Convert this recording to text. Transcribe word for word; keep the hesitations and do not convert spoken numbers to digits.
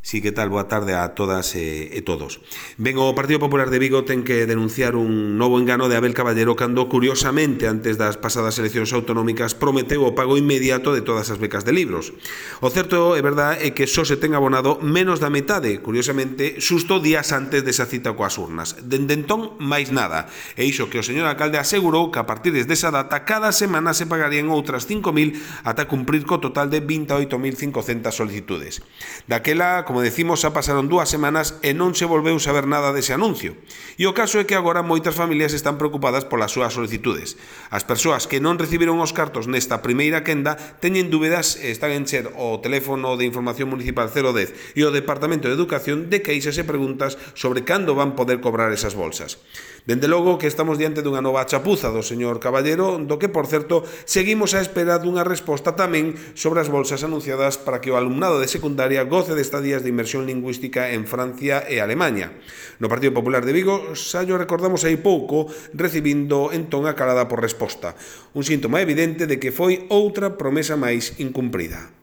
Sí, que tal? Boa tarde a todas e, e todos. Ben, o Partido Popular de Vigo ten que denunciar un novo engano de Abel Caballero cando, curiosamente, antes das pasadas eleccións autonómicas, prometeu o pago inmediato de todas as becas de libros. O certo, é verdad, é que só se ten abonado menos da metade, curiosamente, xusto días antes desa cita coas urnas. Dende entón, máis nada. E iso que o señor alcalde asegurou que a partir desa data cada semana se pagarían outras cinco mil ata cumprir co total de vinte e oito mil cincocentas solicitudes. Daquela, como decimos, xa pasaron dúas semanas e non se volveu saber nada dese anuncio. E o caso é que agora moitas familias están preocupadas polas súas solicitudes. As persoas que non recibiron os cartos nesta primeira quenda teñen dúbidas e están en ser o teléfono de información municipal cero dez e o Departamento de Educación de queixas e preguntas sobre cando van poder cobrar esas bolsas. Dende logo que estamos diante dunha nova chapuza do señor Caballero, do que, por certo, seguimos á espera dunha resposta tamén sobre as bolsas anunciadas para que o alumnado de secundaria goce de estadías de inmersión lingüística en Francia e Alemaña. No Partido Popular de Vigo xa llo recordamos hai pouco, recibindo entón a calada por resposta. Un síntoma evidente de que foi outra promesa máis incumprida.